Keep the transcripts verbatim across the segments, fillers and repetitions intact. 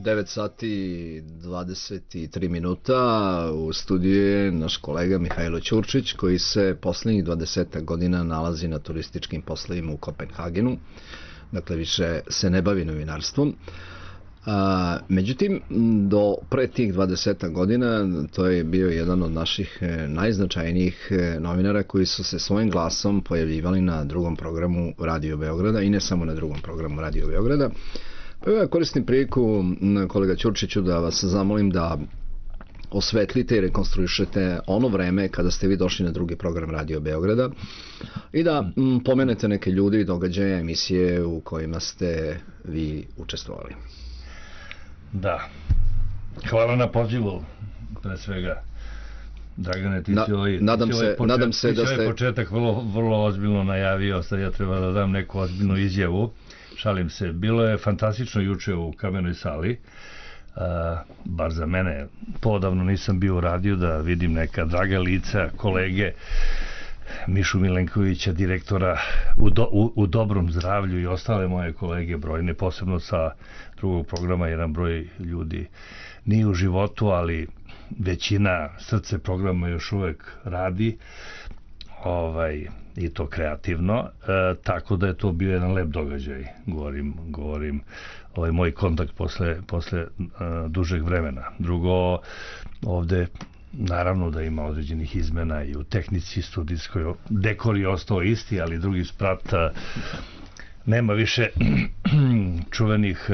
devet sati i dvadeset tri minuta. U studiju je naš kolega Mihajlo Ćurčić, koji se poslednjih dvadeset godina nalazi na turističkim poslovima u Kopenhagenu. Dakle, više se ne bavi novinarstvom. A, međutim, do pre tih dvadeset godina to je bio jedan od naših najznačajnijih novinara koji su se svojim glasom pojavljivali na drugom programu Radio Beograda i ne samo na drugom programu Radio Beograda. Pa ja koristim priliku, kolega Ćurčiću, da vas zamolim da osvetlite i rekonstruišete ono vreme kada ste vi došli na drugi program Radio Beograda i da m, pomenete neke ljudi, događaje, emisije u kojima ste vi učestvovali. Da, hvala na pozivu, pre svega. Dragane, ti si ovaj, nadam se, počet, nadam se da ste... ovaj početak vrlo, vrlo ozbiljno najavio, sad ja treba da dam neku ozbiljnu izjavu. Šalim se, bilo je fantastično juče u Kamenoj sali, uh, bar za mene, poodavno nisam bio u radiju da vidim neka draga lica, kolege, Mišu Milenkovića, direktora u, do, u, u dobrom zdravlju i ostale moje kolege brojne, posebno sa drugog programa, jedan broj ljudi nije u životu, ali većina srce programa još uvek radi, ovaj, i to kreativno, e, tako da je to bio jedan lep događaj, govorim, govorim ovaj moj kontakt posle, posle e, dužeg vremena. Drugo, ovde naravno da ima određenih izmena i u tehnici studijskoj, dekor je ostao isti, ali drugi sprat, a, nema više čuvenih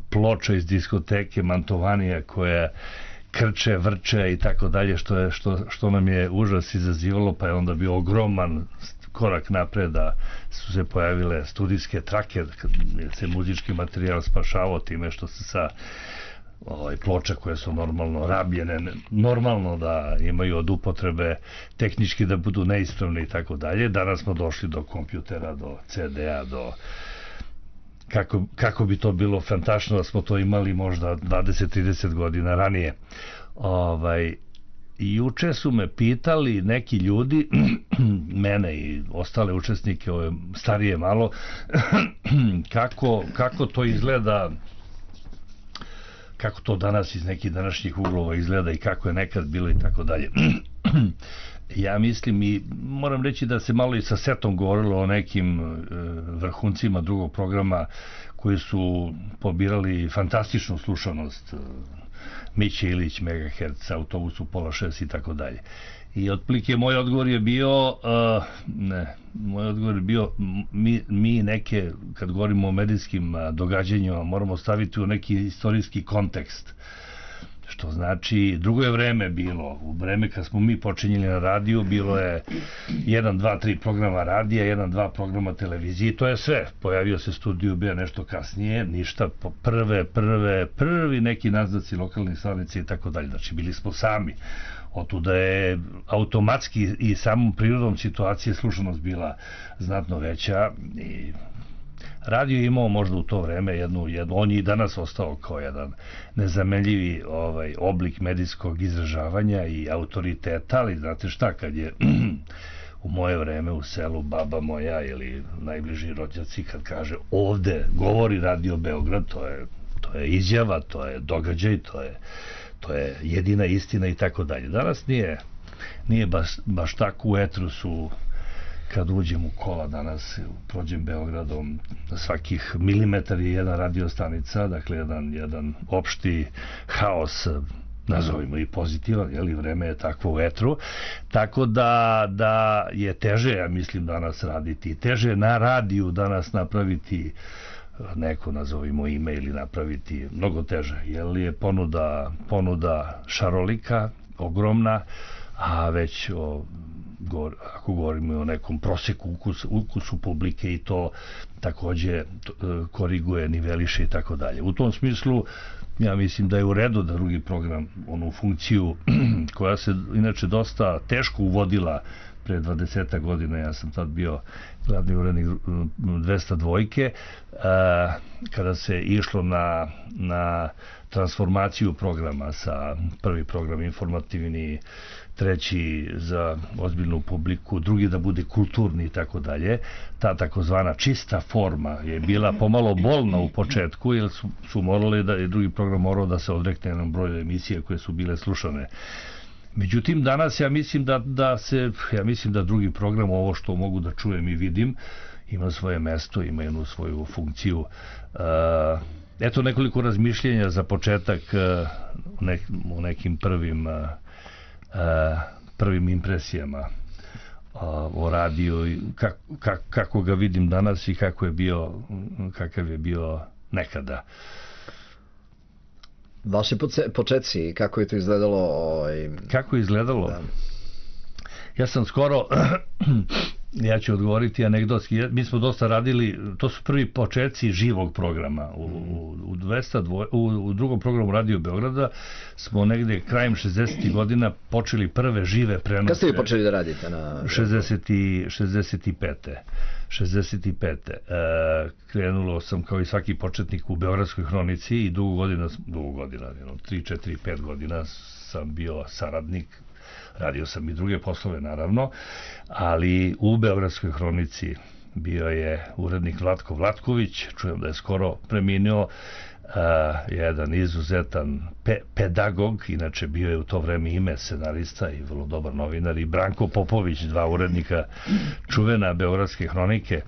ploča iz diskoteke Mantovanija koja krče, vrče i tako dalje, što je što što nam je užas izazivalo, pa je onda bio ogroman korak napred da su se pojavile studijske trake, jer se muzički materijal spašavao time što se sa ovaj, ploča koje su normalno rabljene, normalno da imaju od upotrebe, tehnički da budu neispravne i tako dalje. Danas smo došli do kompjutera, do ce de a, do Kako, kako bi to bilo fantastično da smo to imali možda dvadeset trideset godina ranije. Ovaj, juče su me pitali neki ljudi, mene i ostale učesnike, ove starije malo, kako, kako to izgleda, kako to danas iz nekih današnjih uglova izgleda i kako je nekad bilo i tako dalje. Ja mislim i moram reći da se malo i sa setom govorilo o nekim e, vrhuncima drugog programa koji su pobirali fantastičnu slušanost, e, Miće Ilić, Megahertz, Autobus u pola šest i tako dalje. I otprilike moj odgovor je bio, uh, ne, moj odgovor je bio, mi, mi neke, kad govorimo o medijskim događanjima, moramo staviti u neki istorijski kontekst. Što znači, drugo je vreme bilo, u vreme kad smo mi počinjeli na radiju, bilo je jedan, dva, tri programa radija, jedan, dva programa televizije, to je sve. Pojavio se Studio B nešto kasnije, ništa, prve, prve, prvi neki naznaci lokalnih stanice i tako dalje. Znači, bili smo sami. Otuda je automatski i samom prirodom situacije slušanost bila znatno veća i radio je imao možda u to vreme jednu, jednu, on je i danas ostao kao jedan nezamenljivi ovaj, oblik medijskog izražavanja i autoriteta, ali znate šta, kad je u moje vreme u selu baba moja ili najbliži rođaci kad kaže ovde govori Radio Beograd, to je, to je izjava, to je događaj, to je, to je jedina istina i tako dalje. Danas nije, nije baš, baš tako. U etru su, kad uđem u kola danas, prođem Beogradom, na svakih milimetar je jedna radiostanica, dakle jedan, jedan opšti haos, nazovimo i pozitivan, jeli, vreme je takvo u etru, tako da, da je teže, ja mislim, danas raditi, teže je na radiju danas napraviti neko, nazovimo ime ili napraviti, mnogo teže, jer je ponuda, ponuda šarolika, ogromna, a već o, govor, ako govorimo o nekom proseku ukus, ukusu publike i to takođe to, koriguje, niveliše i tako dalje. U tom smislu ja mislim da je u redu da drugi program onu funkciju koja se inače dosta teško uvodila pre dvadeset godina, ja sam tad bio glavni urednik dvesta dvojke, kada se išlo na, na transformaciju programa, sa prvi program informativni, treći za ozbiljnu publiku, drugi da bude kulturni i tako dalje. Ta takozvana čista forma je bila pomalo bolna u početku, jer su, su morali da je drugi program morao da se odrekne jednom broju emisije koje su bile slušane. Međutim, danas ja mislim da, da se, ja mislim da drugi program, ovo što mogu da čujem i vidim, ima svoje mesto, ima jednu svoju funkciju. Eto nekoliko razmišljenja za početak u nekim prvim prvim impresijama o radiju, kako, kako ga vidim danas i kako je bio, kakav je bio nekada. Vaši početci, kako je to izgledalo? Ovaj... Kako je izgledalo? Da. Ja sam skoro, ja ću odgovoriti anegdotski, mi smo dosta radili, to su prvi početci živog programa. U, u, u, dvesta dva, u, u drugom programu Radio Beograda smo negde krajem šezdesetih godina počeli prve žive prenose. Kad ste vi počeli da radite? Na... šezdeset pete šezdeset pete E, krenulo sam kao i svaki početnik u Beogradskoj hronici i dugo godina, dugo godina, tri, četiri, pet godina sam bio saradnik. Radio sam i druge poslove, naravno, ali u Beogradskoj hronici bio je urednik Vlatko Vlatković, čujem da je skoro preminuo, uh, jedan izuzetan pe pedagog, inače bio je u to vreme ime scenarista i vrlo dobar novinar, i Branko Popović, dva urednika čuvena Beogradske hronike.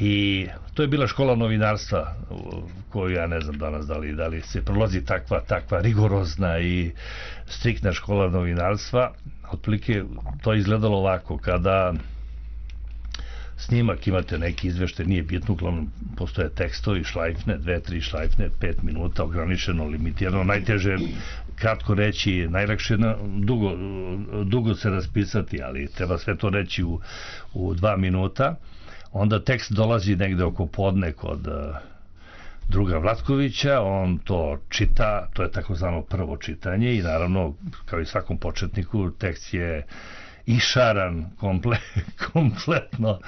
I to je bila škola novinarstva koju ja ne znam danas da li, da li se prolazi takva, takva rigorozna i striktna škola novinarstva. Otprilike to je izgledalo ovako, kada snimak imate neki izveštaj, nije bitno, uglavnom postoje tekstovi, šlajfne, dve, tri šlajfne, pet minuta, ograničeno, limitirano, najteže kratko reći, najlakše dugo, dugo se raspisati, ali treba sve to reći u, u dva minuta. Onda tekst dolazi negde oko podne kod uh, druga Vlatkovića, on to čita, to je takozvano prvo čitanje i naravno, kao i svakom početniku, tekst je išaran komple, kompletno.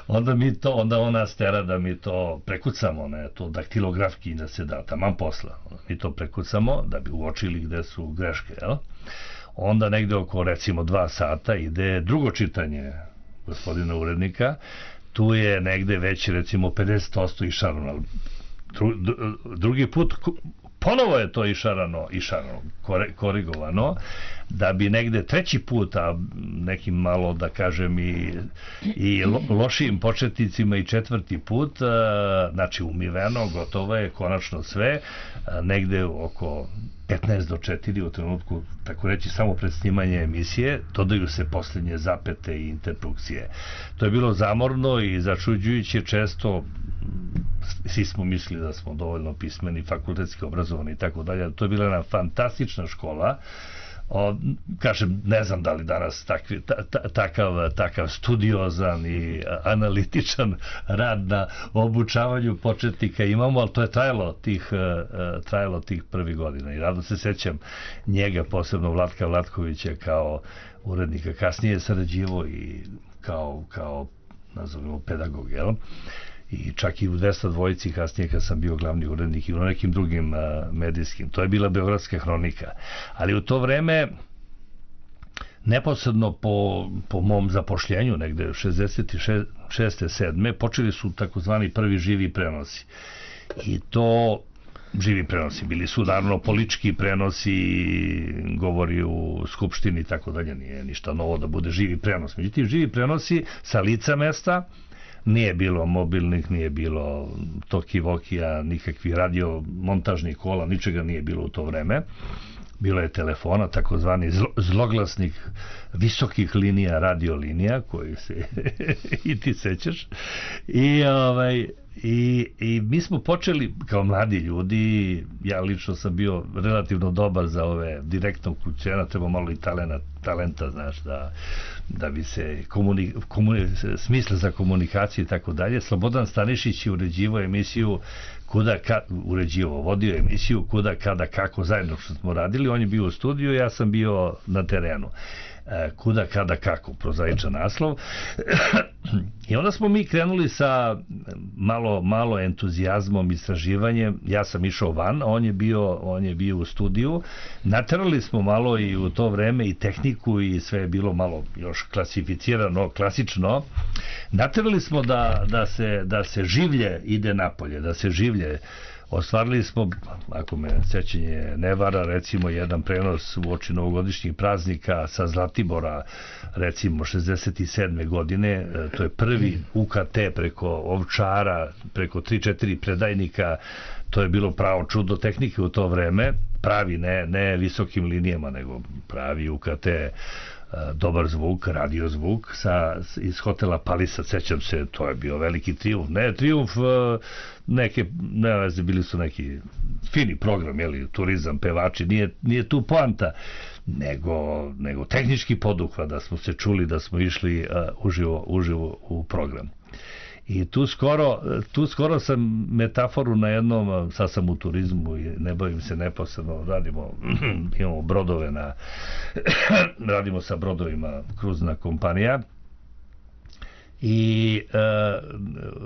Onda mi to, onda ona stera da mi to prekucamo, ne, to daktilografki da se da, taman posla. Mi to prekucamo da bi uočili gde su greške, jel? Onda negde oko, recimo, dva sata ide drugo čitanje gospodina urednika. Tu je negde već, recimo, pedeset posto išarano. Dru, drugi put ponovo je to išarano, išarano, korigovano, da bi negde treći put, a nekim malo, da kažem, i, i lo, lošijim početnicima i četvrti put, znači umiveno, gotovo je, konačno sve, negde oko petnaest do četiri u trenutku, tako reći, samo pred snimanje emisije, dodaju se posljednje zapete i interpunkcije. To je bilo zamorno i začuđujuće, često svi smo mislili da smo dovoljno pismeni, fakultetski obrazovani i tako dalje. To je bila jedna fantastična škola. O, kažem, ne znam da li danas takvi, ta, ta, takav, takav studiozan i analitičan rad na obučavanju početnika imamo, ali to je trajalo tih, uh, trajalo tih prvih godina i rado se sećam njega, posebno Vlatka Vlatkovića kao urednika, kasnije sarađivo i kao, kao nazovimo pedagog, jel? I čak i u dvesta dvojici kasnije kad sam bio glavni urednik i u nekim drugim uh, medijskim. To je bila Beogradska hronika. Ali u to vreme, neposredno po, po mom zapošljenju, negde šezdeset šeste sedme počeli su takozvani prvi živi prenosi. I to živi prenosi. Bili su naravno politički prenosi, govori u skupštini i tako dalje. Nije ništa novo da bude živi prenos. Međutim, živi prenosi sa lica mesta. Nije bilo mobilnih, nije bilo toki-vokija, nikakvih radiomontažnih kola, ničega nije bilo u to vreme. Bilo je telefona, takozvani zloglasnih visokih linija, radiolinija, koji se i ti sećaš. I, ovaj, i, i mi smo počeli kao mladi ljudi, ja lično sam bio relativno dobar za ove direktnog kućena, treba malo i talenta, talenta znaš, da, da bi se komuni, komuni, smisla za komunikaciju i tako dalje. Slobodan Stanišić je uređivao emisiju kuda, ka, uređivao, vodio emisiju kuda, kada, kako, zajedno što smo radili. On je bio u studiju, ja sam bio na terenu. Kuda, kada, kako, prozaičan naslov. I onda smo mi krenuli sa malo, malo entuzijazmom, istraživanjem. Ja sam išao van, on je bio, on je bio u studiju. Naterali smo malo i u to vreme i tehniku i sve je bilo malo još klasificirano, klasično. Naterali smo da, da, se, da se življe ide napolje, da se življe. Ostvarili smo, ako me sećanje ne vara, recimo jedan prenos u oči novogodišnjih praznika sa Zlatibora, recimo šezdeset sedme godine, to je prvi U K T preko Ovčara, preko tri četiri predajnika, to je bilo pravo čudo tehnike u to vreme, pravi, ne, ne visokim linijama, nego pravi U K T, dobar zvuk, radio zvuk sa, iz hotela Palisa, sećam se, to je bio veliki trijumf, ne trijumf neke, ne veze, bili su neki fini program, jeli, turizam, pevači, nije, nije tu poanta, nego, nego tehnički poduhvat, da smo se čuli, da smo išli uh, uživo, uživo u program. I tu skoro, tu skoro sam metaforu na jednom, sad sam u turizmu i ne bavim se neposredno, radimo, imamo brodove na, radimo sa brodovima, kruzna kompanija, i e,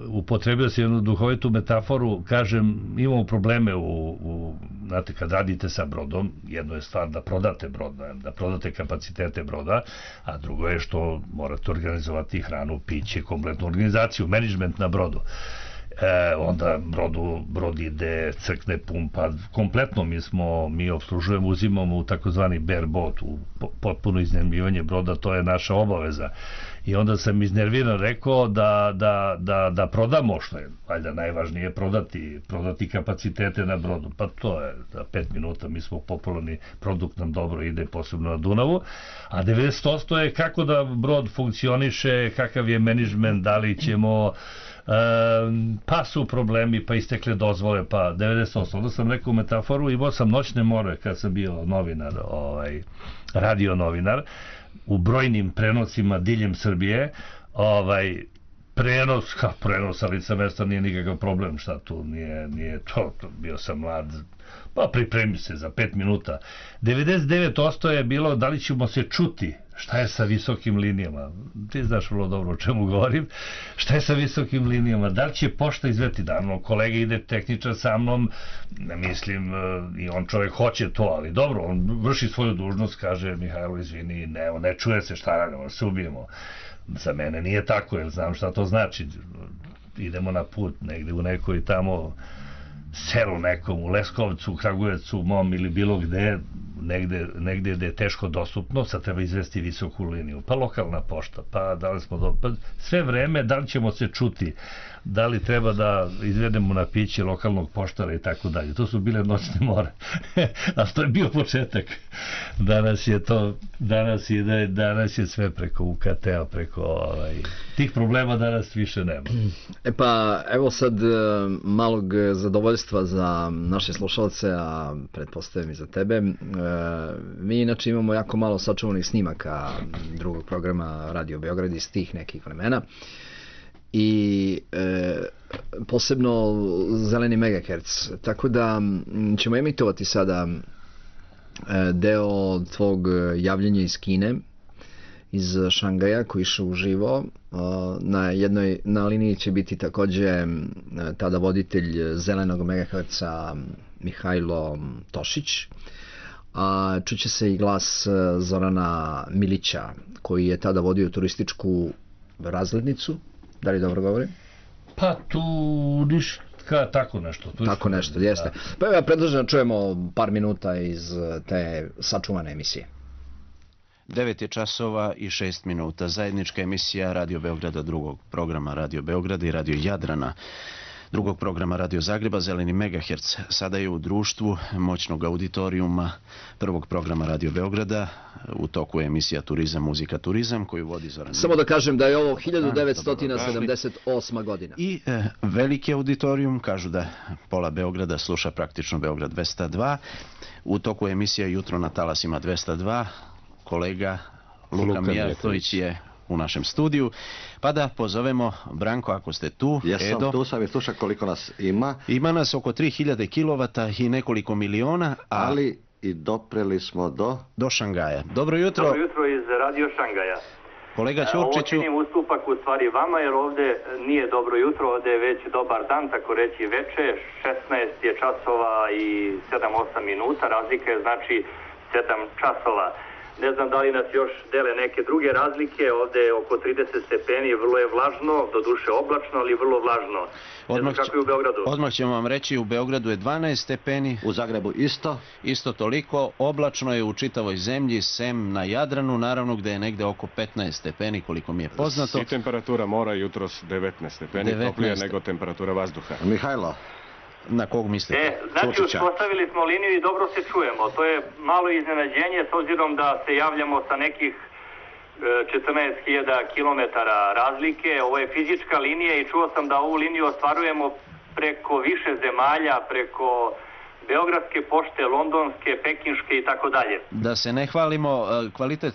upotrebio sam jednu duhovitu metaforu, kažem, imamo probleme u, u, znate, kad radite sa brodom, jedno je stvar da prodate brod, da prodate kapacitete broda, a drugo je što morate organizovati hranu, piće, kompletnu organizaciju, menadžment na brodu. E, onda brodu, brod ide, crkne, pumpa, kompletno mi smo, mi obslužujemo, uzimamo u takozvani bareboat, u potpuno iznajmljivanje broda, to je naša obaveza. I onda sam iznerviran rekao da, da, da, da prodamo, što je valjda najvažnije, prodati, prodati kapacitete na brodu. Pa to je za pet minuta, mi smo popularni, produkt nam dobro ide, posebno na Dunavu, a devedeset posto je kako da brod funkcioniše, kakav je menadžment, da li ćemo, e, pa su problemi, pa istekle dozvole, pa devedeset posto. Onda sam rekao metaforu, imao sam noćne more kad sam bio novinar, ovaj, radio novinar, u brojnim prenosima diljem Srbije, ovaj, prenos, ha, prenos, ali sa mesta nije nikakav problem, šta tu, nije, nije to, to, bio sam mlad, pa pripremi se za pet minuta. devedeset devet posto je bilo da li ćemo se čuti, šta je sa visokim linijama, ti znaš vrlo dobro o čemu govorim, šta je sa visokim linijama, da li će pošta izveti, da, kolega ide tehničar sa mnom, ne mislim, i on čovjek hoće to, ali dobro, on vrši svoju dužnost, kaže, Mihajlo, izvini, ne, ne čuje se, šta radimo, se ubijemo. Za mene nije tako, jer znam šta to znači, idemo na put negde u nekoj tamo selu nekom, u Leskovcu, u Kragujevcu, mom ili bilo gde, negde, negde gde je teško dostupno, sad treba izvesti visoku liniju, pa lokalna pošta, pa da li smo do... pa sve vreme, da li ćemo se čuti, da li treba da izvedemo na piće lokalnog poštara i tako dalje. To su bile noćne more. A to je bio početak. Danas je to, danas je, danas je sve preko U K T-a, preko ovaj, tih problema danas više nema. E pa, evo sad malog zadovoljstva za naše slušalce, a pretpostavljam i za tebe. Mi inače imamo jako malo sačuvanih snimaka drugog programa Radio Beograd iz tih nekih vremena. I e, posebno zeleni megaherc, tako da ćemo emitovati sada e, deo tvog javljenja iz Kine, iz Šangaja, koji išao uživo. E, na jednoj na liniji će biti takođe e, tada voditelj zelenog megaherca Mihajlo Tošić, a čuće se i glas Zorana Milića, koji je tada vodio turističku razglednicu. Da li dobro govorim? Pa tu ništa, tako nešto. Tako nešto, jeste. Pa ja predlažem da čujemo par minuta iz te sačuvane emisije. devet je časova i šest minuta. Zajednička emisija Radio Beograda, drugog programa Radio Beograda i Radio Jadrana, drugog programa Radio Zagreba, Zeleni megaherc. Sada je u društvu moćnog auditorijuma prvog programa Radio Beograda. U toku je emisija Turizam, muzika, turizam, koju vodi Zoran. Samo da kažem da je ovo hiljadu devetsto sedamdeset osma godina. I e, veliki auditorijum, kažu da pola Beograda sluša praktično Beograd dvesta dva. U toku je emisija Jutro na talasima dvesta dva. Kolega Luka, Luka Mijatović je u našem studiju, pa da pozovemo Branko, ako ste tu. Jesam Edo. Tu, sam i slušam koliko nas ima. Ima nas oko tri hiljade kilovata i nekoliko miliona, a... ali i dopreli smo do... Do Šangaja. Dobro jutro. Dobro jutro iz Radio Šangaja. Kolega Ćurčiću... Ovo činim ustupak u stvari vama, jer ovde nije dobro jutro, ovde je već dobar dan, tako reći veče, šesnaest je časova i sedam osam minuta, razlika je znači sedam časova. Ne znam da li nas još dele neke druge razlike, ovde je oko trideset stepeni, vrlo je vlažno, do duše oblačno, ali vrlo vlažno. Ne znam kako je u Beogradu. Odmah ćemo vam reći, u Beogradu je dvanaest stepeni. U Zagrebu isto. Isto toliko, oblačno je u čitavoj zemlji, sem na Jadranu, naravno gde je negde oko petnaest stepeni, koliko mi je poznato. I temperatura mora jutros devetnaest stepeni, toplije nego temperatura vazduha. Mihajlo. Na kog mislite? E, znači, uspostavili smo liniju i dobro se čujemo. To je malo iznenađenje s obzirom da se javljamo sa nekih četrnaest hiljada kilometara razlike. Ovo je fizička linija i čuo sam da ovu liniju ostvarujemo preko više zemalja, preko Beogradske pošte, Londonske, Pekinške i tako dalje. Da se ne hvalimo, kvalitet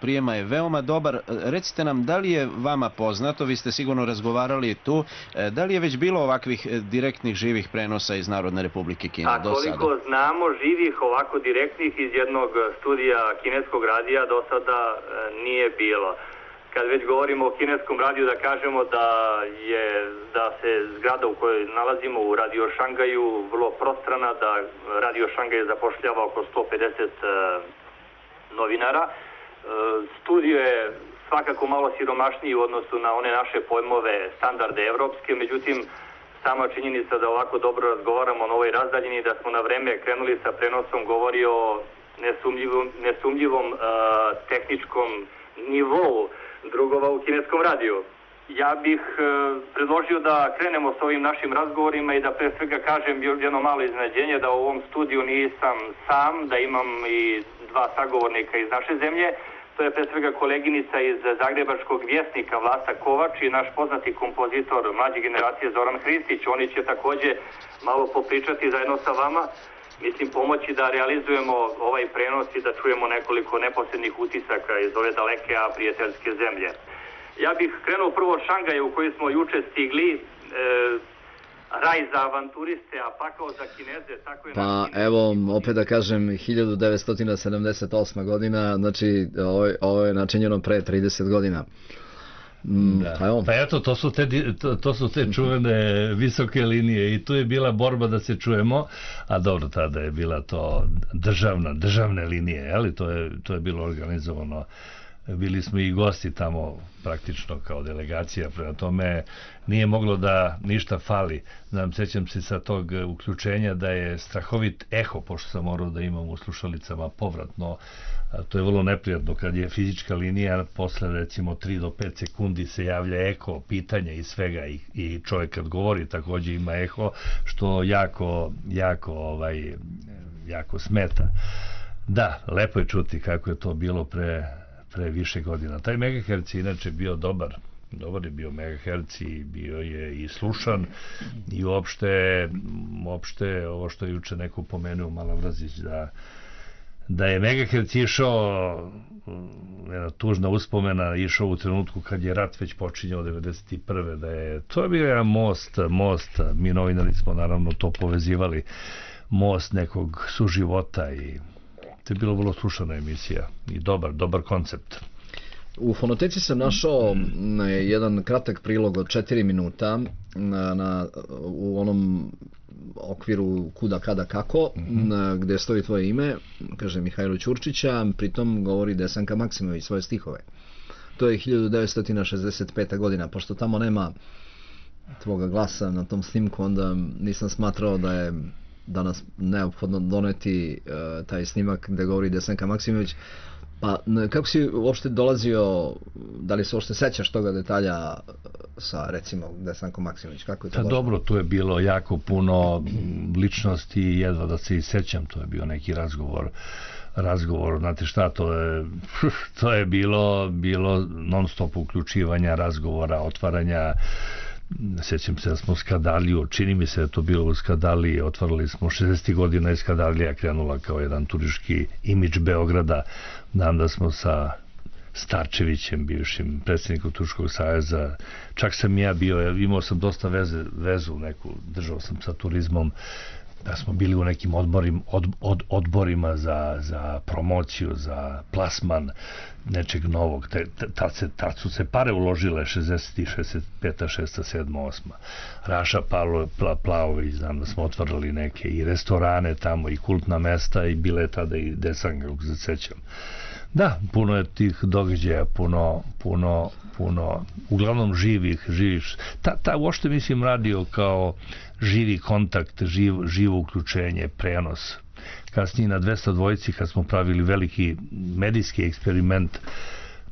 prijema je veoma dobar. Recite nam, da li je vama poznato, vi ste sigurno razgovarali tu, da li je već bilo ovakvih direktnih živih prenosa iz Narodne Republike Kine do sada? A koliko znamo, živih ovako direktnih iz jednog studija kineskog radija do sada nije bilo. Kad već govorimo o kineskom radiju, da kažemo da je da se zgrada u kojoj nalazimo u Radio Šangaju vrlo prostrana, da Radio Šangaj zapošljava oko sto pedeset novinara. Studio je svakako malo siromašniji u odnosu na one naše pojmove standarde evropske, međutim sama činjenica da ovako dobro razgovaramo na ovoj razdaljini, da smo na vreme krenuli sa prenosom, govori o nesumljivom, nesumljivom uh, tehničkom nivou drugova u kineskom radiju. Ja bih e, predložio da krenemo s ovim našim razgovorima i da pre svega kažem jedno malo iznenađenje da u ovom studiju nisam sam, da imam i dva sagovornika iz naše zemlje. To je pre svega koleginica iz Zagrebačkog vjesnika Vlasta Kovač i naš poznati kompozitor mlađe generacije Zoran Hristić. Oni će takođe malo popričati zajedno sa vama. Mislim, pomoći da realizujemo ovaj prenos i da čujemo nekoliko neposrednih utisaka iz ove daleke, a prijateljske zemlje. Ja bih krenuo prvo od Šangaja u koji smo juče stigli, e, raj za avanturiste, a pakao za Kineze, tako je... Pa evo, opet da kažem, hiljadu devetsto sedamdeset osma godina, znači ovo, ovo je načinjeno pre trideset godina. Mm, da. Pa eto, to su, te, to, to su te čuvene visoke linije i tu je bila borba da se čujemo, a dobro, tada je bila to državna, državne linije, ali to je, to je bilo organizovano. Bili smo i gosti tamo praktično kao delegacija, prema tome nije moglo da ništa fali. Znam, sećam se sa tog uključenja da je strahovit eho, pošto sam morao da imam u slušalicama povratno. To je vrlo neprijatno kad je fizička linija, posle recimo tri do pet sekundi se javlja eko, pitanja i svega i, i čovjek kad govori takođe ima eho, što jako, jako, ovaj, jako smeta. Da, lepo je čuti kako je to bilo pre pre više godina. Taj megaherc je inače bio dobar. Dobar je bio megaherc i bio je i slušan i uopšte, uopšte ovo što je juče neko pomenuo, Malavrazić, da, da je megaherc išao, jedna tužna uspomena, išao u trenutku kad je rat već počinjao devedeset prve da je, to je bio jedan most, most, mi novinari smo naravno to povezivali, most nekog suživota i to je bilo vrlo slušana emisija i dobar, dobar koncept. U fonoteci sam našao jedan kratak prilog od četiri minuta na, na, u onom okviru kuda, kada, kako, mm-hmm. na, gde stoji tvoje ime, kaže Mihajlo Ćurčića, pritom govori Desanka Maksimović svoje stihove. To je hiljadu devetsto šezdeset peta godina, pošto tamo nema tvoga glasa na tom snimku, onda nisam smatrao da je danas neophodno doneti uh, taj snimak gde govori Desanka Maksimović. Pa kako si uopšte dolazio, da li se uopšte sećaš toga detalja sa recimo Desankom Maksimović? Kako je to? Pa dobro, tu je bilo jako puno ličnosti i jedva da se i sećam, to je bio neki razgovor razgovor, znate šta, to je to je bilo bilo non stop uključivanja, razgovora, otvaranja. Sjećam se da smo Skadaliju, čini mi se da to bilo u Skadaliji, otvarali smo šezdesetih godina i Skadalija krenula kao jedan turistički imidž Beograda. Znam da smo sa Starčevićem, bivšim predsjednikom Turističkog saveza, čak sam ja bio, imao sam dosta veze, vezu neku, držao sam sa turizmom, da smo bili u nekim odborim, od, od, odborima za, za promociju, za plasman nečeg novog. Te, tad, se, tad su se pare uložile šezdeset, šezdeset pet, šezdeset sedam, osam. Raša Pavlo, Pla, Plavović, znam da smo otvorili neke i restorane tamo i kultna mesta i bile tada i Desanga, kako se sećam. Da, puno je tih događaja, puno, puno, puno, uglavnom živih, živih. Ta, ta uopšte mislim radio kao živi kontakt, živ, živo uključenje, prenos. Kasnije na dvesta dvojici kad smo pravili veliki medijski eksperiment,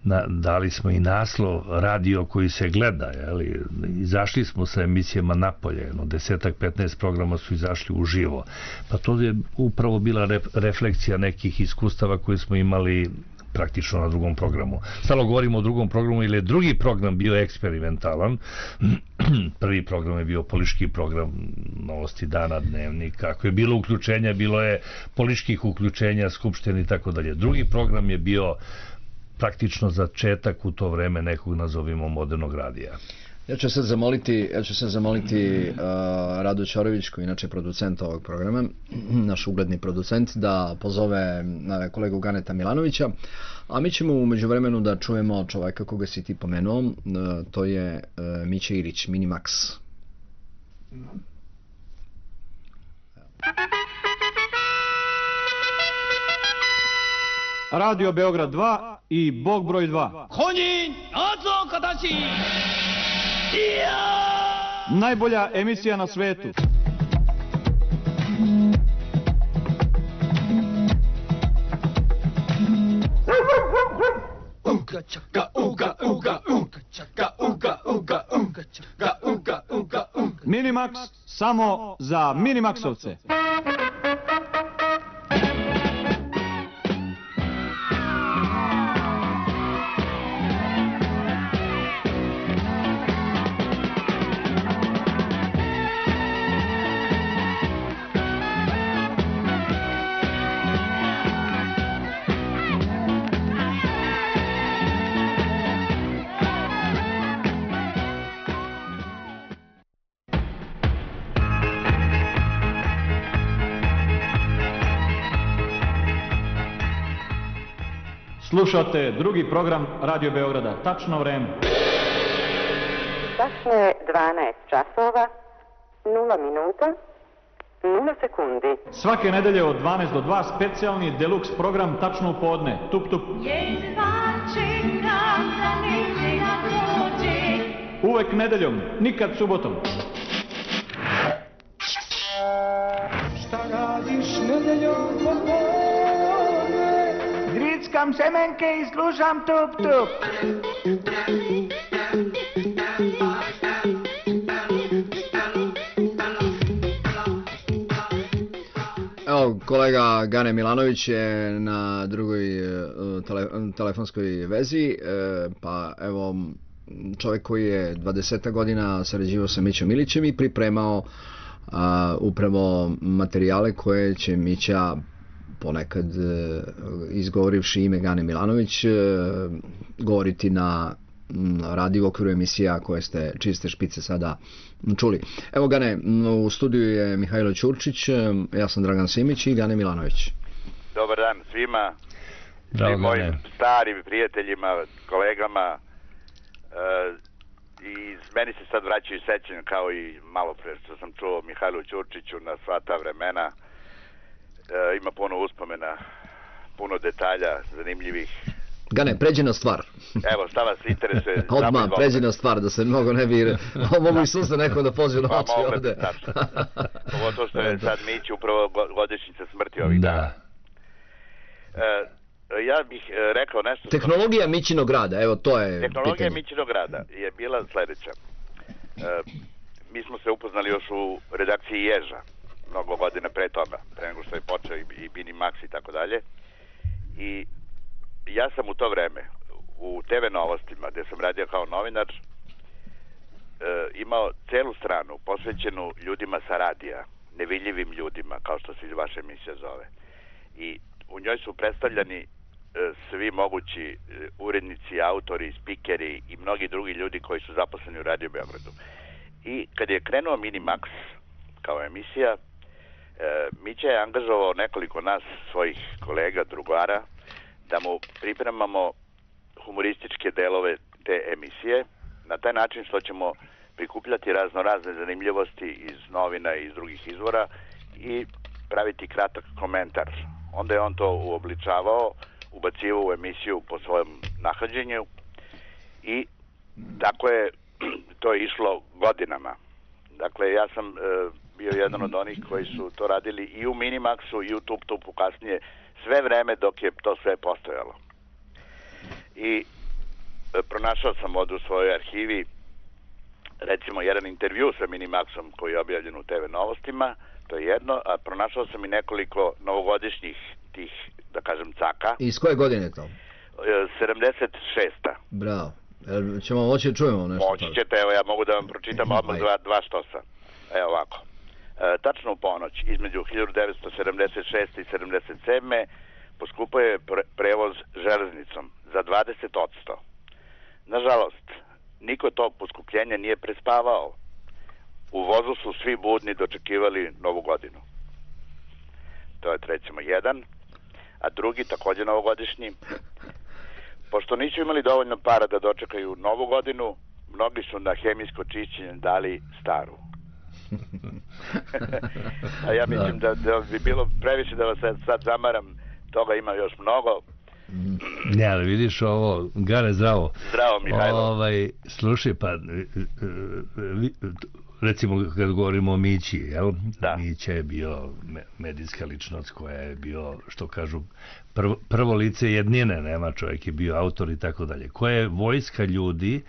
na, dali smo i naslov radio koji se gleda, jeli? Izašli smo sa emisijama napolje, no desetak, petnaest programa su izašli uživo. Pa to je upravo bila re, refleksija nekih iskustava koje smo imali praktično na drugom programu. Stalo govorimo o drugom programu, ili je drugi program bio eksperimentalan. Prvi program je bio politički program, Novosti dana, Dnevnik. Kako je bilo uključenja, bilo je političkih uključenja, skupštine i tako dalje. Drugi program je bio praktično začetak u to vreme nekog, nazovimo, modernog radija. Ja ću sad zamoliti, ja ću sad zamoliti uh, Radu Ćorović, koji je inače producent ovog programa, naš ugledni producent, da pozove uh, kolegu Ganeta Milanovića, a mi ćemo u međuvremenu da čujemo čoveka koga si ti pomenuo, uh, to je uh, Mića Ilić, Minimax. Radio Beograd dva i Bog broj dva. Honjin, Azo Kadashi! Najbolja emisija na svetu. Minimax samo za Minimaxovce. Slušate drugi program Radio Beograda. Tačno vreme. Tačno je dvanaest časova, nula minuta, nula sekundi. Svake nedelje od dvanaest do dva specijalni deluks program Tačno u podne. Tup, tup. Uvek nedeljom, nikad subotom. Šta radiš nedeljom popodne? Grickam semenke i slušam tup tup. Evo, kolega Gane Milanović je na drugoj tele, telefonskoj vezi, pa evo, čovjek koji je dvadeset godina sarađivao sa Mićom Ilićem i pripremao a, upravo materijale koje će Mića, ponekad izgovorivši ime Gane Milanović, govoriti na radiju u okviru emisija koje ste, čije ste špice sada čuli. Evo, Gane, u studiju je Mihajlo Ćurčić, ja sam Dragan Simić i Gane Milanović. Dobar dan svima, Bravo, svim mojim starim prijateljima, kolegama, e, i meni se sad vraćaju sećanja kao i malo pre što sam čuo Mihajlu Ćurčiću na sva ta vremena. E, ima puno uspomena, puno detalja zanimljivih. Gane, pređi na stvar. Evo, šta vas interesuje? Odmah, pređi na stvar, da se mnogo ne bi... Mogu i susta neko da pođe na oči ovde. Pogotovo što je sad Mić upravo godišnjica smrti ovih dana. E, ja bih rekao nešto... Tehnologija Mićinog rada, evo to je Tehnologija pitanje. Mićinog rada je bila sledeća. E, mi smo se upoznali još u redakciji Ježa, mnogo godina pre toga, pre nego što je počeo i, i Minimax i tako dalje. I ja sam u to vreme u te ve Novostima, gde sam radio kao novinar, e, imao celu stranu posvećenu ljudima sa radija, nevidljivim ljudima, kao što se vaša emisija zove. I u njoj su predstavljani e, svi mogući e, urednici, autori, spikeri i mnogi drugi ljudi koji su zaposleni u Radio Beogradu. I kad je krenuo Minimax kao emisija, Mića je angažovao nekoliko nas, svojih kolega, drugara, da mu pripremamo humorističke delove te emisije, na taj način što ćemo prikupljati razno razne zanimljivosti iz novina i iz drugih izvora i praviti kratak komentar. Onda je on to uobličavao, ubacivao u emisiju po svojom nahođenju i tako je to išlo godinama. Dakle, ja sam e, bio jedan od onih koji su to radili i u Minimaxu i u Tup Tupu kasnije, sve vreme dok je to sve postojalo. I e, pronašao sam ovdje u svojoj arhivi recimo jedan intervju sa Minimaxom koji je objavljen u te ve Novostima, to je jedno, a pronašao sam i nekoliko novogodišnjih tih, da kažem, caka. I iz koje godine to? sedamdeset šesta. Bravo. Jel ćemo moći da čujemo nešto? Moći ćete, evo ja mogu da vam pročitam odmah dva, dva štosa. Evo ovako. E, tačno u ponoć, između hiljadu devetsto sedamdeset šeste i sedamdeset sedme poskupao je pre prevoz železnicom za dvadeset posto. Nažalost, niko to poskupljenje nije prespavao. U vozu su svi budni dočekivali novu godinu. To je recimo jedan. A drugi, također novogodišnji. Pošto nisu imali dovoljno para da dočekaju novu godinu, mnogi su na hemijsko čišćenje dali staru. A ja mislim da, da bi bilo previše da vas sad zamaram, toga ima još mnogo. Ne, ali vidiš ovo, Gare, zdravo. Zdravo, Mihajlo. Ovaj, slušaj, pa, recimo kad govorimo o Mići, jel? Da. Mića je bio medijska ličnost koja je bio, što kažu, prvo, prvo lice jednine, nema, čovjek je bio autor i tako dalje. Koja je vojska ljudi,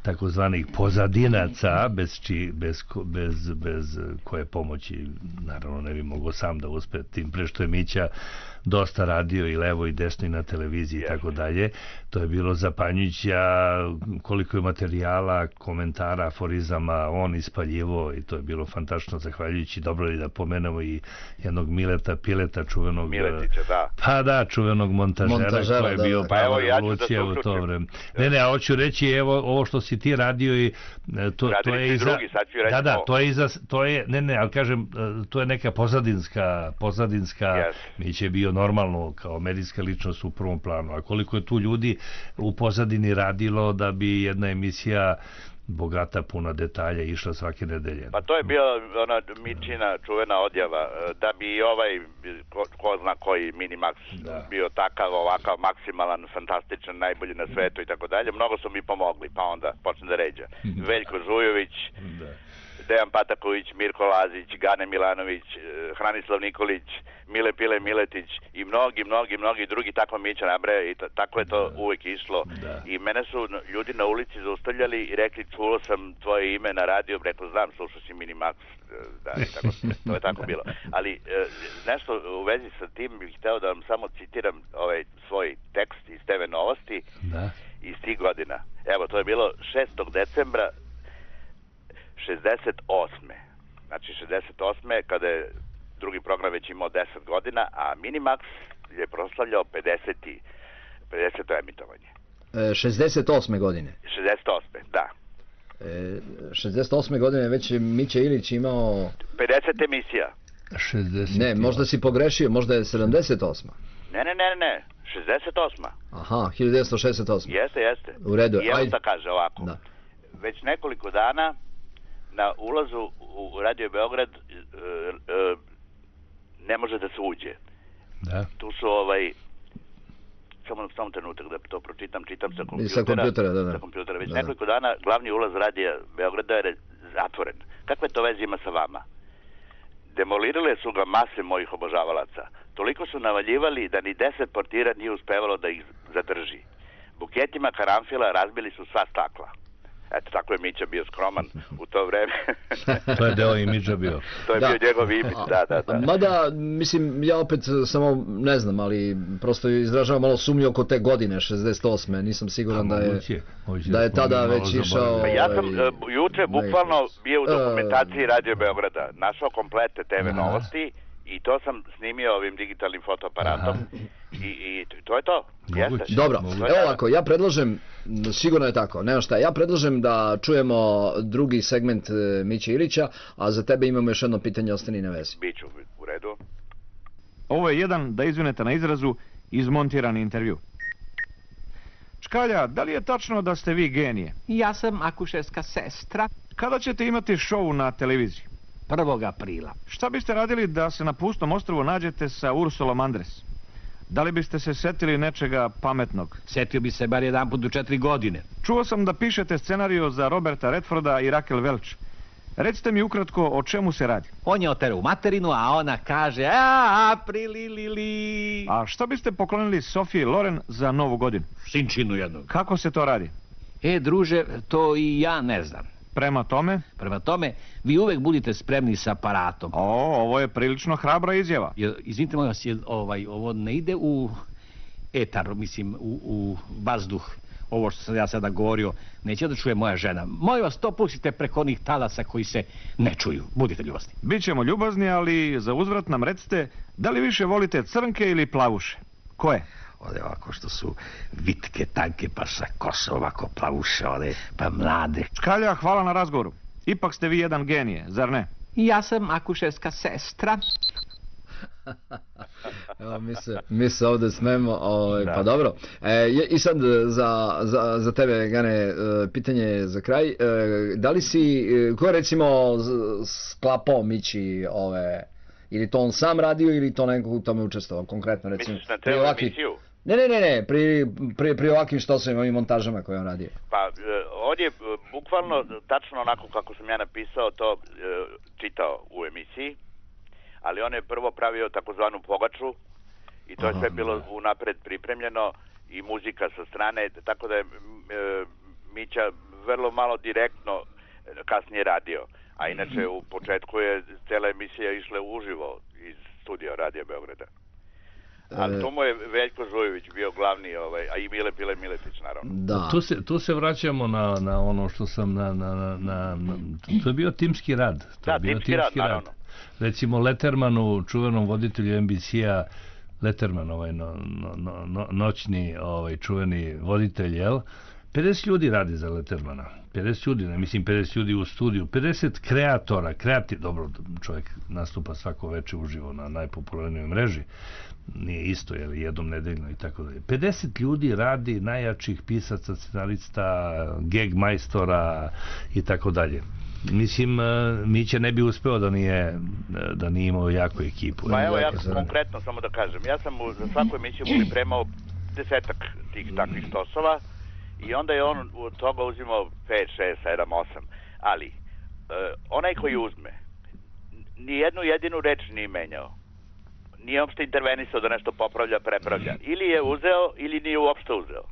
takozvanih pozadinaca, bez, či, bez, bez, bez koje pomoći, naravno ne bi mogao sam da uspe, tim pre što je Mića dosta radio i levo i desno i na televiziji i tako dalje. To je bilo zapanjujuće koliko je materijala, komentara, aforizama on ispaljivo i to je bilo fantastično, zahvaljujući, dobro je da pomenemo i jednog Mileta Pileta, čuvenog Miletića, da. Pa da, čuvenog montažera, montažera koji je da, bio da. prava pa revolucija u to vreme. Ne, ne, a hoću reći, evo, ovo što si ti radio i to, to je iza... Drugi, da, da, to je iza, to je, ne, ne, ali kažem, to je neka pozadinska, pozadinska, yes. Mić je bio normalno kao medijska ličnost u prvom planu, a koliko je tu ljudi u pozadini radilo da bi jedna emisija bogata, puna detalja išla svake nedelje. Pa to je bila ona Mičina čuvena odjava, da bi i ovaj, ko, ko zna koji Minimax da. bio takav, ovakav, maksimalan, fantastičan, najbolji na svetu i tako dalje. Mnogo su mi pomogli, pa onda počne da ređa. Veljko Žujović, da. Dejan Pataković, Mirko Lazić, Gane Milanović, Hranislav Nikolić, Mile Pile Miletić i mnogi, mnogi, mnogi drugi, tako Mića nabraja i tako je to da. uvek išlo. Da. I mene su ljudi na ulici zaustavljali i rekli, čulo sam tvoje ime na radio, rekao, znam, slušao si Minimax, da, i tako, to je tako bilo. Ali nešto u vezi sa tim bih hteo da vam samo citiram ovaj svoj tekst iz te ve Novosti da. iz tih godina. Evo, to je bilo šestog decembra šezdeset osme. Znači šezdeset osme kada je drugi program već imao deset godina, a Minimax je proslavljao pedeseto emitovanje. E, šezdeset osme godine? šezdeset osme, da. E, šezdeset osme godine već je Mića Ilić imao... pedeset emisija. šezdeset Ne, možda si pogrešio, možda je sedamdeset osma. Ne, ne, ne, ne, šezdeset osma. Aha, hiljadu devetsto šezdeset osma. Jeste, jeste. U redu. I evo da kaže ovako. Da. Već nekoliko dana na ulazu u Radio Beograd e, e, ne može da se uđe. Da. Tu su ovaj samo samo trenutak da to pročitam, čitam sa kompjutera. Sa kompjutera, da, da. Sa kompjutera. Već da, nekoliko dana glavni ulaz Radija Beograda je zatvoren. Kakve to veze ima sa vama? Demolirale su ga mase mojih obožavalaca. Toliko su navaljivali da ni deset portira nije uspevalo da ih zadrži. Buketima karanfila razbili su sva stakla. Eto, tako je Mića bio skroman u to vreme. To je deo imidža bio. To je da. bio njegov imidž, da, da, da. Mada, mislim, ja opet samo ne znam, ali prosto izražavam malo sumnju oko te godine, šezdeset osme. Nisam siguran da je, da je tada već išao... Ja sam uh, juče bukvalno bio u dokumentaciji Radio Beograda, našao komplete te ve Novosti i to sam snimio ovim digitalnim fotoaparatom. I, i to je to. Jeste. Dobro, evo ovako, ja predlažem, sigurno je tako, nema šta, ja predlažem da čujemo drugi segment Miće Ilića, a za tebe imamo još jedno pitanje, ostani na vezi. Biću, u Ovo je jedan, da izvinete na izrazu, izmontirani intervju. Čkalja, da li je tačno da ste vi genije? Ja sam akušerska sestra. Kada ćete imati šou na televiziji? prvog aprila. Šta biste radili da se na pustom ostrvu nađete sa Ursulom Andres? Da li biste se setili nečega pametnog? Setio bi se bar jedan put u četiri godine. Čuo sam da pišete scenariju za Roberta Redforda i Raquel Welch. Recite mi ukratko o čemu se radi. On je oterao u materinu, a ona kaže a prililili. A šta biste poklonili Sofiji Loren za novu godinu? Sinčinu jednog. Kako se to radi? E, druže, to i ja ne znam. Prema tome? Prema tome, vi uvek budite spremni s aparatom. O, ovo je prilično hrabra izjava. Izvinite, moj vas, ovaj, ovo ne ide u etar, mislim, u, u vazduh. Ovo što sam ja sada govorio, neće da čuje moja žena. Molim vas, to pustite preko onih talasa koji se ne čuju. Budite ljubazni. Bićemo ljubazni, ali za uzvrat nam recite, da li više volite crnke ili plavuše? Koje? Ode ovako što su vitke, tanke, pa sa kosom ovako plavuše, ode pa mlade. Čkalja, hvala na razgovoru. Ipak ste vi jedan genije, zar ne? Ja sam akušerska sestra. Evo, mi se, mi se ovde smemo, ovaj, pa dobro. E, I sad za, za, za tebe, Gane, pitanje za kraj. E, da li si, ko je recimo sklapao Mići ove, ili to on sam radio ili to neko u tome učestvovao konkretno, recimo? Misliš na teo emisiju? Ne, ne, ne, ne, pri, pri, pri ovakvim štosovima i montažama koje on radio. Pa, on je bukvalno tačno onako kako sam ja napisao to čitao u emisiji, ali on je prvo pravio takozvanu pogaču i to je sve bilo unapred pripremljeno i muzika sa strane, tako da je Mića vrlo malo direktno kasnije radio, a inače u početku je cela emisija išla uživo iz studija Radija Beograda. Ali tu mu je Veljko Žujević bio glavni, ovaj, a i Mile Pile Miletić, naravno. Da. Tu, se, tu se vraćamo na, na ono što sam, na, na, na, na, to je bio timski rad. To da, je bio timski, timski rad, naravno. Recimo Lettermanu, čuvenom voditelju en bi si-a, Letterman, ovaj, no, no, no, noćni ovaj, čuveni voditelj, jel? pedeset ljudi radi za Lettermana. pedeset ljudi, ne mislim pedeset ljudi u studiju. pedeset kreatora, kreativ, dobro, čovjek nastupa svako veče uživo na najpopularnijoj mreži. Nije isto, jel, jednom nedeljno i tako dalje. pedeset ljudi radi, najjačih pisaca, scenarista, gag majstora i tako dalje. Mislim, Mića ne bi uspeo da nije, da nije imao jaku ekipu. Pa evo, ja konkretno samo da kažem, ja sam za svaku emisiju pripremao desetak tih takvih štosova i onda je on od toga uzimao pet, šest, sedam, osam. Ali, uh, onaj koji uzme, nijednu jedinu reč nije menjao. Nije uopšte intervenisao da nešto popravlja, prepravlja. Ili je uzeo, ili nije uopšte uzeo.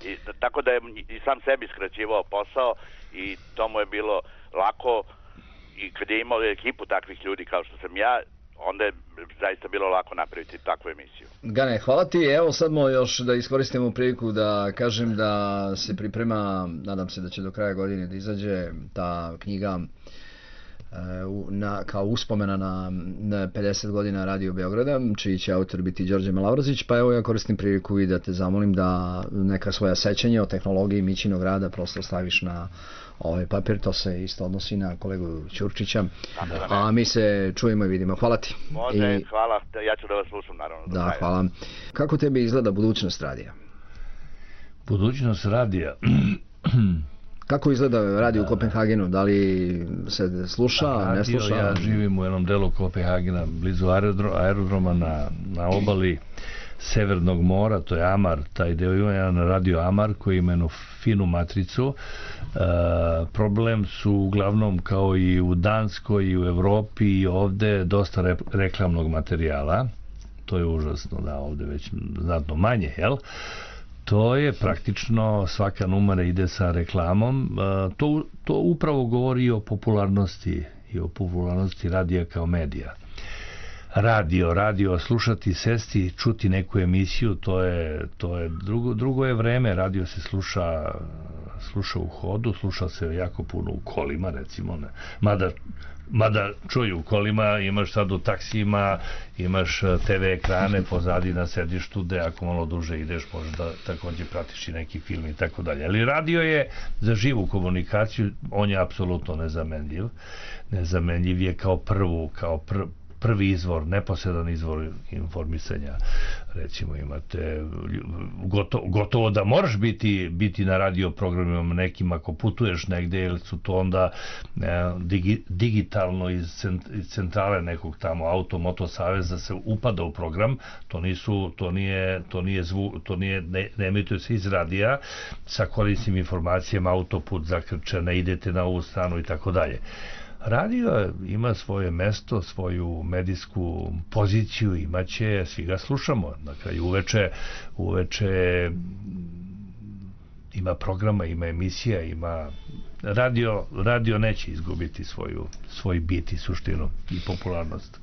I, tako da je i sam sebi skraćivao posao i to mu je bilo lako i kad je imao ekipu takvih ljudi kao što sam ja, onda je zaista bilo lako napraviti takvu emisiju. Gane, hvala ti. Evo sad mo još da iskoristimo priliku da kažem da se priprema, nadam se da će do kraja godine da izađe ta knjiga na, kao uspomena na, na pedeset godina Radio Beograda, čiji će autor biti Đorđe Malavrazić, pa evo ja koristim priliku i da te zamolim da neka svoja sećanja o tehnologiji Mićinog rada prosto staviš na ovaj papir, to se isto odnosi na kolegu Ćurčića, a mi se čujemo i vidimo. Hvala ti. Može, I, hvala, ja ću da vas slušam naravno. Da, da hvala. Kako tebi izgleda budućnost radija? Budućnost radija... Kako izgleda radio u Kopenhagenu? Da li se sluša, radio, ne sluša? Ja živim u jednom delu Kopenhagena, blizu aerodroma na, na obali Severnog mora, to je Amar, taj deo ima jedan radio Amar koji ima jednu finu matricu. E, problem su uglavnom kao i u Danskoj i u Evropi i ovde dosta re, reklamnog materijala. To je užasno, da, ovde već znatno manje, jel? To je praktično, svaka numera ide sa reklamom. To, to upravo govori o popularnosti i o popularnosti radija kao medija. Radio, radio, slušati, sesti, čuti neku emisiju, to je, to je drugo, drugo je vreme. Radio se sluša, sluša u hodu, sluša se jako puno u kolima, recimo. Ne. Mada, mada čuju, u kolima imaš sad u taksijima, imaš te ve ekrane pozadi na sedištu, gde ako malo duže ideš možeš da takođe pratiš i neki film i tako dalje. Ali radio je za živu komunikaciju, on je apsolutno nezamenljiv. Nezamenljiv je kao prvu, kao pr, prvi izvor, neposredan izvor informisanja. Recimo imate gotovo, gotovo da moraš biti, biti na radio programima nekim ako putuješ negde, jer su to onda e, digi, digitalno iz, cent, iz centrale nekog tamo auto, moto saveza se upada u program, to nisu, to nije, to nije zvu, to nije, ne, ne emituje se iz radija sa korisnim informacijama, autoput zakrčen, ne idete na ovu stranu i tako dalje. Radio ima svoje mesto, svoju medijsku poziciju, imaće, svi ga slušamo. Na kraju uveče, uveče ima programa, ima emisija, ima radio, radio neće izgubiti svoju, svoj bit i suštinu i popularnost.